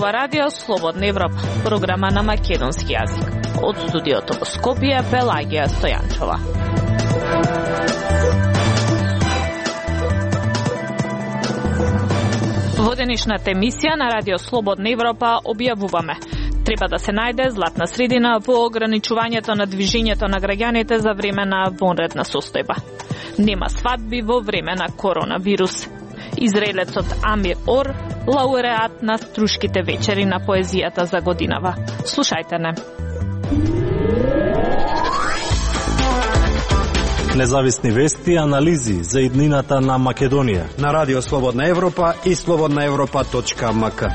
Ова радио Слободна Европа, програма на македонски јазик. Од студиото во Скопје, Пелагија Стојанчова. Во денешната емисија на радио Слободна Европа објавуваме: треба да се најде златна средина во ограничувањето на движењето на граѓаните за време на вонредна состојба. Нема свадби во време на коронавирус. Израелецот Амир Ор, лауреат на Струшките вечери на поезијата за годинава. Слушајте не. Независни вести и анализи за иднината на Македонија на радио Слободна Европа и slobodnaevropa.mk.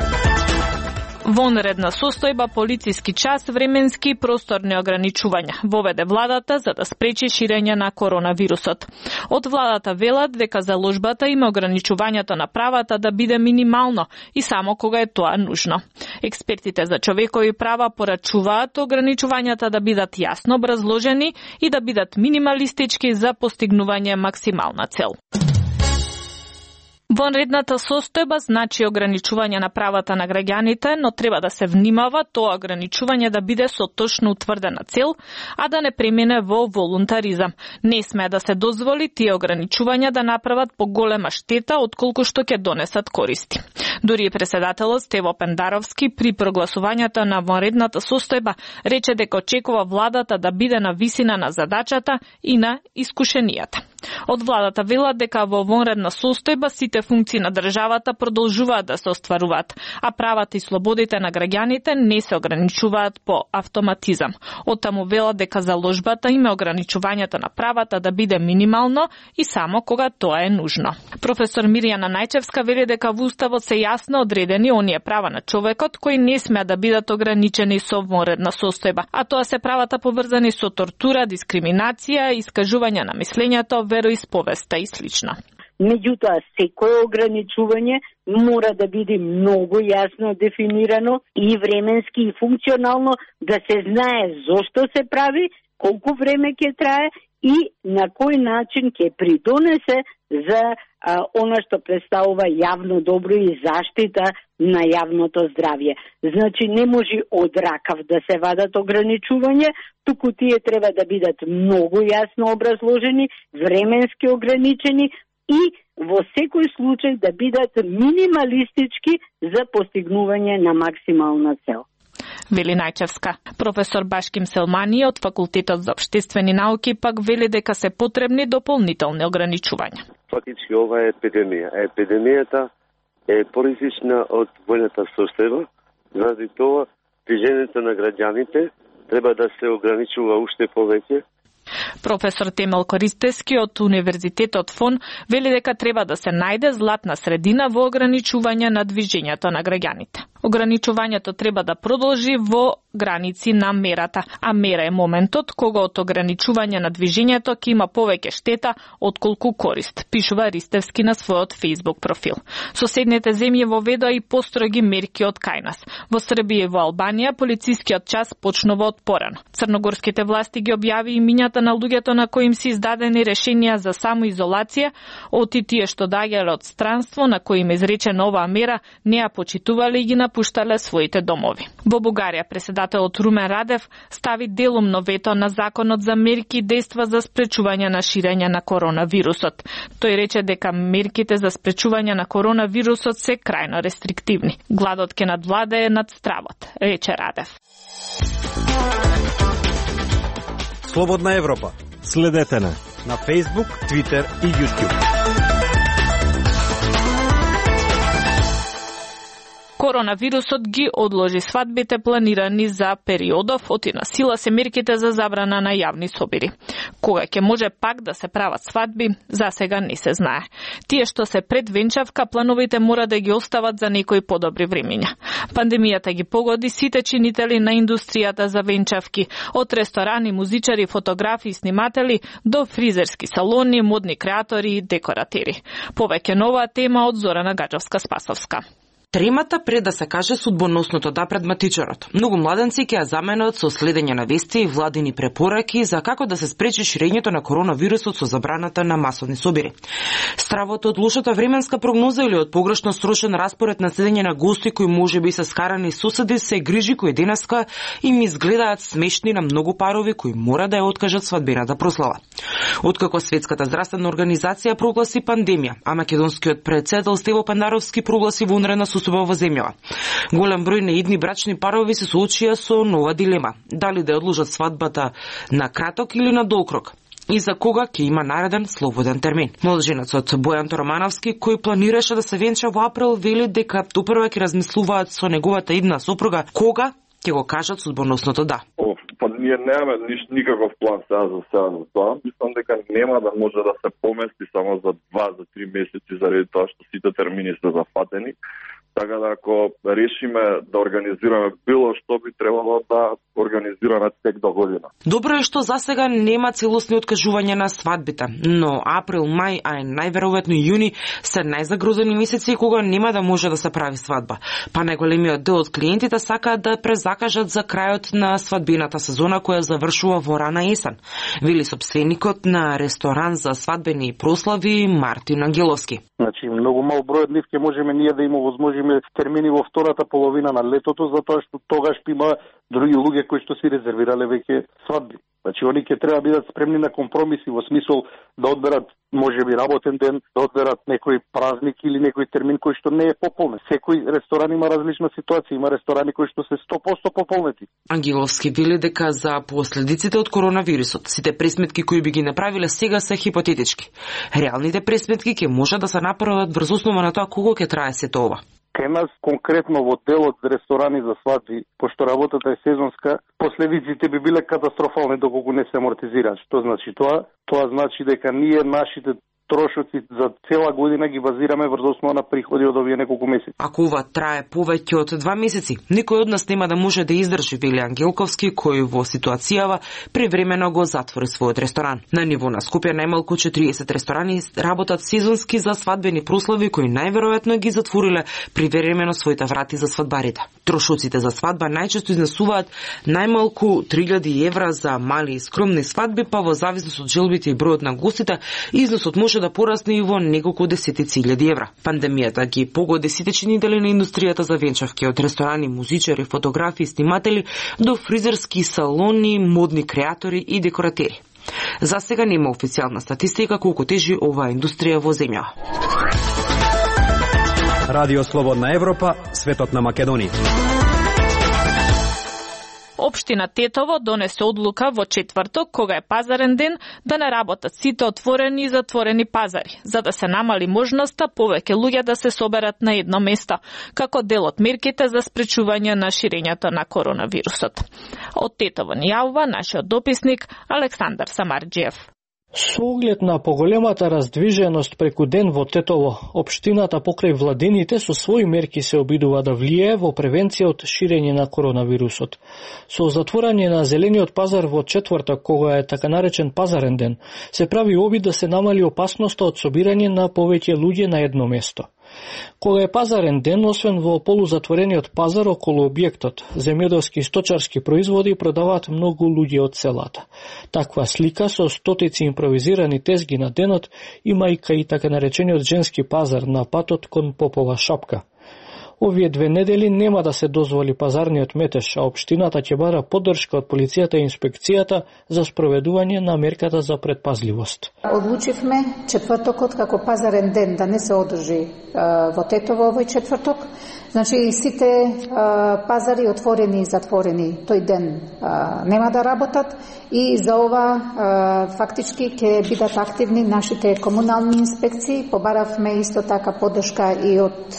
Вонредна состојба, полициски час, временски и просторни ограничувања воведе владата за да спречи ширење на коронавирусот. Од владата велат дека заложбата има ограничувањето на правата да биде минимално и само кога е тоа нужно. Експертите за човекови права порачуваат ограничувањата да бидат јасно образложени и да бидат минималистички за постигнување максимална цел. Вонредната состојба значи ограничување на правата на граѓаните, но треба да се внимава тоа ограничување да биде со точно утврдена цел, а да не премине во волунтаризам. Не сме да се дозволи тие ограничувања да направат поголема штета отколку што ќе донесат користи. Дури и председателот Стево Пендаровски при прогласувањето на вонредната состојба рече дека очекува владата да биде на висина на задачата и на искушенијата. Од владата велат дека во вонредна состојба сите функции на државата продолжуваат да се остваруваат, а правата и слободите на граѓаните не се ограничуваат по автоматизам. Оттаму велат дека заложбата има ограничувањето на правата да биде минимално и само кога тоа е нужно. Професор Мирјана Најчевска вели дека во уставот се јасно одредени оние права на човекот кои не смеат да бидат ограничени со вонредна состојба, а тоа се правата поврзани со тортура, дискриминација, искажување на мислењето, вероисповеста и слично. Меѓутоа, секое ограничување мора да биде многу јасно дефинирано и временски и функционално, да се знае зошто се прави, колку време ќе трае и на кој начин ќе придонесе за она што представува јавно добро и заштита на јавното здравје. Значи, не може од ракав да се вадат ограничување, туку тие треба да бидат многу јасно образложени, временски ограничени и во секој случај да бидат минималистички за постигнување на максимална цел. Вели Најчевска. Професор Башким Селмани од Факултетот за општествени науки пак вели дека се потребни дополнителни ограничувања. Фактички ова е епидемија. Епидемијата е поризична од војната состојба, заради тоа движењето на граѓаните треба да се ограничува уште повеќе. Професор Темел Користески од Универзитетот ФОН вели дека треба да се најде златна средина во ограничување на движењето на граѓаните. Ограничувањето треба да продолжи во граници на мерата, а мера е моментот кога од ограничување на движењето ќе има повеќе штета отколку корист, пишува Ристевски на својот Facebook профил. Соседните земји воведоа и построги мерки од кај нас. Во Србија и во Албанија полицискиот час почнува од порано. Црногорските власти ги објави имињата на луѓето на кои им се издадени решенија за самоизолација, оти тие што доаѓале од странство на кои им изречена оваа мера не ја почитувале и ги напуштале своите домови. Во Бугарија председателот Румен Радев стави делумно вето на законот за мерки и дејства за спречување на ширење на коронавирусот. Тој рече дека мерките за спречување на коронавирусот се крајно рестриктивни. Гладот ке надвладее над стравот, рече Радев. Слободна Европа. Следете на Facebook, Twitter и YouTube. Коронавирусот ги одложи свадбите планирани за периодов, оти на сила се мерките за забрана на јавни собири. Кога ќе може пак да се прават свадби, за сега не се знае. Тие што се пред венчавка, плановите мора да ги остават за некои подобри времиња. Пандемијата ги погоди сите чинители на индустријата за венчавки, од ресторани, музичари, фотографи и сниматели до фризерски салони, модни креатори и декоратери. Повеќе нова тема од Зорана Гаджовска-Спасовска. Тремата пред да се каже судбоносното да пред матичарот. Многу младенци ќе ја заменат со следење на вести и владини препораки за како да се спречи ширењето на коронавирусот со забраната на масовни собири. Стравото од лошата временска прогноза или од погрешно срочен распоред на седење на гости кои можеби се скарани соседи се грижи кои денеска им изгледаат смешни на многу парови кои мора да ја откажат свадбената прослава. Откако Светската здравствена организација прогласи пандемија, а македонскиот председател Стево Пандаровски прогласи вонредна состојба во земјава. Голем број неидни брачни парови се соочија со нова дилема: дали да одложат свадбата на краток или на долг рок, и за кога ќе има нареден слободен термин. Младоженецот Бојан Торомановски, кој планираше да се венча во април, вели дека топрва ќе размислуваат со неговата идна сопруга кога ќе го кажат судбоносното да. Па ние немаме никаков план сега за тоа. Мислам дека нема да може да се помести само за 2-3 месеци заради тоа што сите термини се зафатени. Така да ако решиме да организираме било што, би требало да организираме тек до година. Добро е што засега нема целосни откажувања на свадбите, но април, мај, а најверојатно јуни се најзагрозени месеци кога нема да може да се прави свадба. Па најголемиот дел од клиентите сакаат да презакажат за крајот на свадбената сезона која завршува во рана есен, вели сопственикот на ресторан за свадбени прослави Мартин Ангеловски. Значи, многу мал број од нив ќе можеме ние да им овозможиме термини во втората половина на летото, затоа што тогаш има други луѓе кои што си резервирале веќе свадби. Значи, они ќе треба да бидат спремни на компромиси во смисол да одберат можеби работен ден, да одберат некој празник или некој термин кој што не е пополнет. Секој ресторан има различна ситуација, има ресторани кои што се 100% пополнети. Ангеловски вели дека за последиците од коронавирусот сите пресметки кои би ги направиле сега се хипотетички. Реалните пресметки ќе може да се направат врз основа на тоа колку ќе трае сето ова. Кај нас конкретно во делот за ресторани за свадби, пошто работата е сезонска, последиците би биле катастрофални доколку не се амортизираат. Што значи тоа? Тоа значи дека ние нашите трошоци за цела година ги базираме врз основа на приходи од овие неколку месеци. Ако ова трае повеќе од 2 месеци, никој од нас нема да може да издржи, вели Ангелковски, кој во ситуацијава привремено го затвори својот ресторан. На ниво на Скопје најмалку 40 ресторани работат сезонски за свадбени прослави кои најверојатно ги затвориле привремено своите врати за свадбарите. Трошоците за свадба најчесто изнесуваат најмалку 3000 евра за мали и скромни свадби, па во зависност од желбите и бројот на гостите, износот може да порасне и во неколку десетици илјади евра. Пандемијата ги погоди сите чинители на индустријата за венчавки, од ресторани, музичари, фотографи, сниматели до фризерски салони, модни креатори и декоратери. За сега нема официјална статистика колку тежи оваа индустрија во земја. Радио Слободна Европа, светот на Македонија. Општина Тетово донесе одлука во четврток, кога е пазарен ден, да не работат сите отворени и затворени пазари, за да се намали можноста повеќе луѓе да се соберат на едно место, како дел од мерките за спречување на ширењето на коронавирусот. Од Тетово ни јавува нашиот дописник Александар Самарџиев. Со оглед на поголемата раздвиженост преку ден во Тетово, општината покрај владините со своји мерки се обидува да влие во превенција од ширење на коронавирусот. Со затворање на зелениот пазар во четврток, кога е така наречен пазарен ден, се прави обид да се намали опасноста од собирање на повеќе луѓе на едно место. Кога е пазарен ден, освен во полузатворениот пазар околу објектот, земјоделски и сточарски производи продаваат многу луѓе од селата. Таква слика со стотици импровизирани тезги на денот има и кај така наречениот женски пазар на патот кон Попова шапка. Овие 2 недели нема да се дозволи пазарниот метеж, а општината ќе бара поддршка од полицијата и инспекцијата за спроведување на мерката за предпазливост. Одлучивме четвртокот како пазарен ден да не се одржи во Тетово овој четврток. Значи сите пазари отворени и затворени тој ден нема да работат и за ова фактички ќе бидат активни нашите комунални инспекции. Побаравме исто така поддршка и од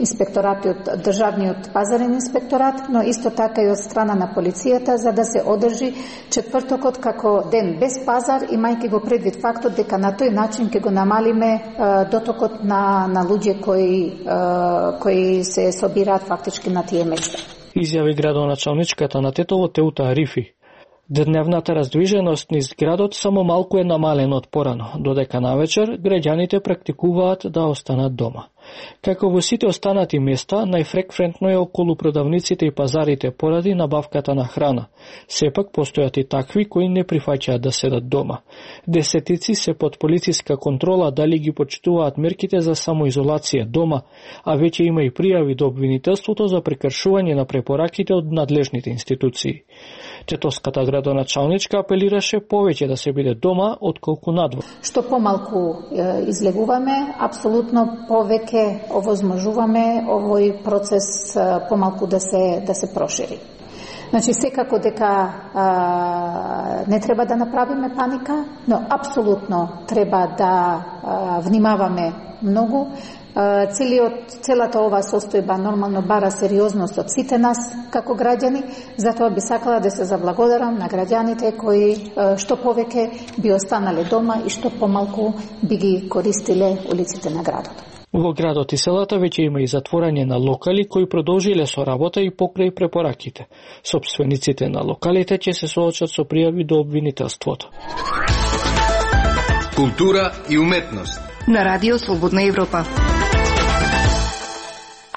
инспекторатот, државниот пазарен инспекторат, но исто така и од страна на полицијата, за да се одржи четвртокот како ден без пазар, имајќи го предвид фактот дека на тој начин ќе го намалиме дотокот на луѓе кои се собираат фактички на тие места. Изјави градоначалничката на Тетово Теута Арифи. Дневната раздвиженост низ градот само малку е намалена од порано, додека навечер граѓаните практикуваат да останат дома. Како во сите останати места, најфреквентно е околу продавниците и пазарите поради набавката на храна. Сепак постојат и такви кои не прифаќаат да седат дома. Десетици се под полициска контрола дали ги почитуваат мерките за самоизолација дома, а веќе има и пријави до обвинителството за прекршување на препораките од надлежните институции. Тетовската градоначалничка апелираше повеќе да се биде дома отколку надвор. Што помалку излегуваме, апсолутно повеќе овозможуваме овој процес помалку да се прошири. Значи, секако дека не треба да направиме паника, но апсолутно треба да внимаваме многу. Целата оваа состојба нормално бара сериозност од сите нас како граѓани, затоа би сакала да се заблагодарам на граѓаните кои што повеќе би останале дома и што помалку би ги користиле улиците на градот. Во градот и селата веќе има и затворање на локали кои продолжиле со работа и покрај препораките. Сопствениците на локалите ќе се соочат со пријави до обвинителството. Култура и уметност на Радио Слободна Европа.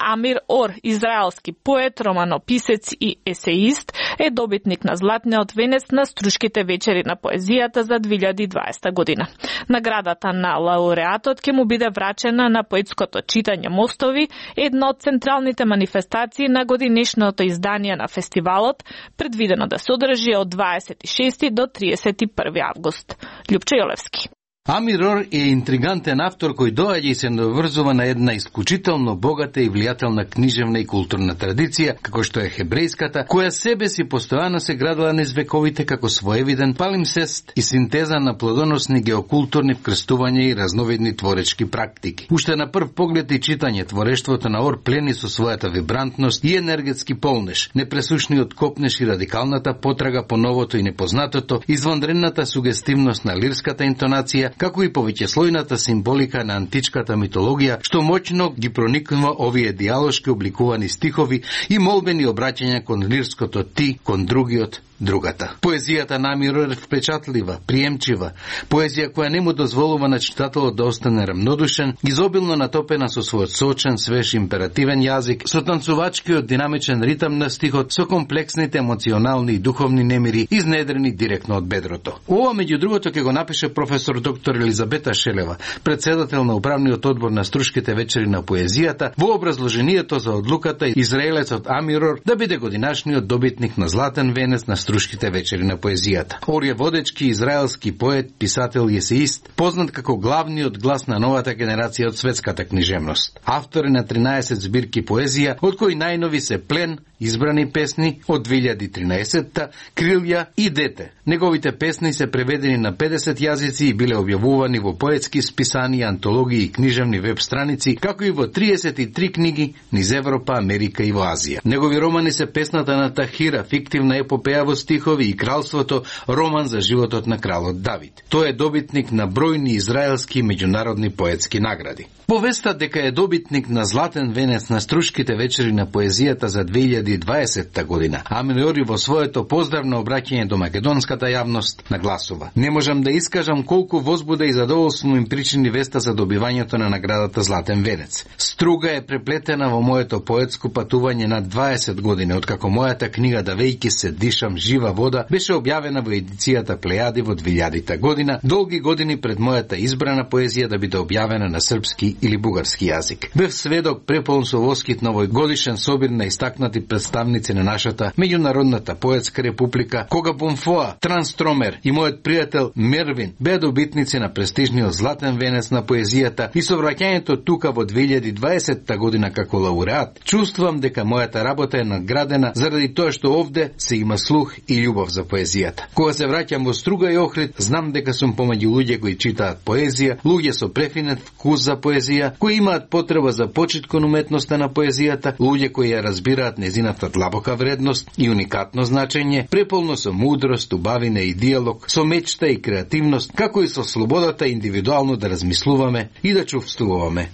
Амир Ор, израелски поет, романописец и есеист, е добитник на Златниот венец на Струшките вечери на поезијата за 2020 година. Наградата на лауреатот ќе му биде врачена на поетското читање Мостови, една од централните манифестации на годинешното издание на фестивалот, предвидено да се одржи од 26 до 31 август. Љупчо Јолевски. Амир Ор е интригантен автор кој доаѓа и се наврзува на една исклучително богата и влијателна книжевна и културна традиција, како што е хебрејската, која себе си постојано се градила низ вековите како своевиден палимсест и синтеза на плодоносни геокултурни вкрстувања и разновидни творечки практики. Уште на прв поглед и читање творештвото на Ор плени со својата вибрантност и енергетски полнеж, непресушниот копнеш и радикалната потрага по новото и непознатото, извонредната сугестивност на лирската интонација, како и повеќеслојната символика на античката митологија, што моќно ги проникнува овие диалошки обликувани стихови и молбени обраќања кон лирското ти, кон другиот, другата. Поезијата на Амир Ор е впечатлива, приемчива, поезија која не му дозволува на читателот да остане рамнодушен, изобилно натопена со својот сочен, свеж императивен јазик, со танцувачкиот динамичен ритам на стихот, со комплексните емоционални и духовни немири, изнедрени директно од бедрото. Ова, меѓу другото, ќе го напише професор доктор Елизабета Шелева, председател на управниот одбор на Струшките вечери на поезијата, во образложението за одлуката израелецот Амир Ор да биде годинашниот добитник на Златен венец на Струшките вечери на поезијата. Ор е водечки израелски поет, писател и есеист, познат како главниот глас на новата генерација од светската книжевност. Автор е на 13 збирки поезија, од кои најнови се Плен, избрани песни од 2013-та, Крилја и Дете. Неговите песни се преведени на 50 јазици и биле објавувани во поетски списани, антологии и книжевни веб страници, како и во 33 книги низ Европа, Америка и во Азија. Негови романи се Песната на Тахира, фиктивна епопеја во стихови, и Кралството, роман за животот на кралот Давид. Тој е добитник на бројни израелски и меѓународни поетски награди. Повеста дека е добитник на Златен венец на Струшките вечери на поезијата за 2020 година, Амир Ор во своето поздравно обраќање до македонската јавност нагласува: не можам да искажам колку возбуда и задоволство им причини веста за добивањето на наградата Златен венец. Струга е преплетена во моето поетско патување на 20 години, откако мојата книга "Да веќе се дишам жива вода" беше објавена во едицијата Плејади во 2000 година, долги години пред мојата избрана поезија да биде објавена на српски или бугарски јазик. Бев сведок преполн со воскит на овојгодишен собир на истакнати представници на нашата меѓународната поетска република, кога Бонфоа, Трансстромер и мојот пријател Мервин беа добитници на престижниот Златен венец на поезијата, и со враќањето тука во 2020 година како лауреат, чувствувам дека мојата работа е наградена заради тоа што овде се има слух и љубов за поезијата. Кога се враќам во Струга и Охрид, знам дека сум помеѓу луѓе кои читаат поезија, луѓе со префинет вкус за поезија, кои имаат потреба за почит кон уметноста на поезијата, луѓе кои ја разбираат незината длабока вредност и уникатно значење, преполно со мудрост, убавина и диалог, со мечта и креативност, како и со слободата индивидуално да размислуваме и да чувствуваме.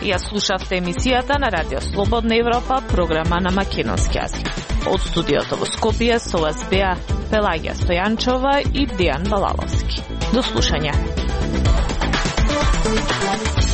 Ја слушавте емисијата на Радио Слободна Европа, програма на македонски јазик. Од студиото во Скопје со вас беа Пелагија Стојанчова и Дејан Балаловски. До слушање. Европа.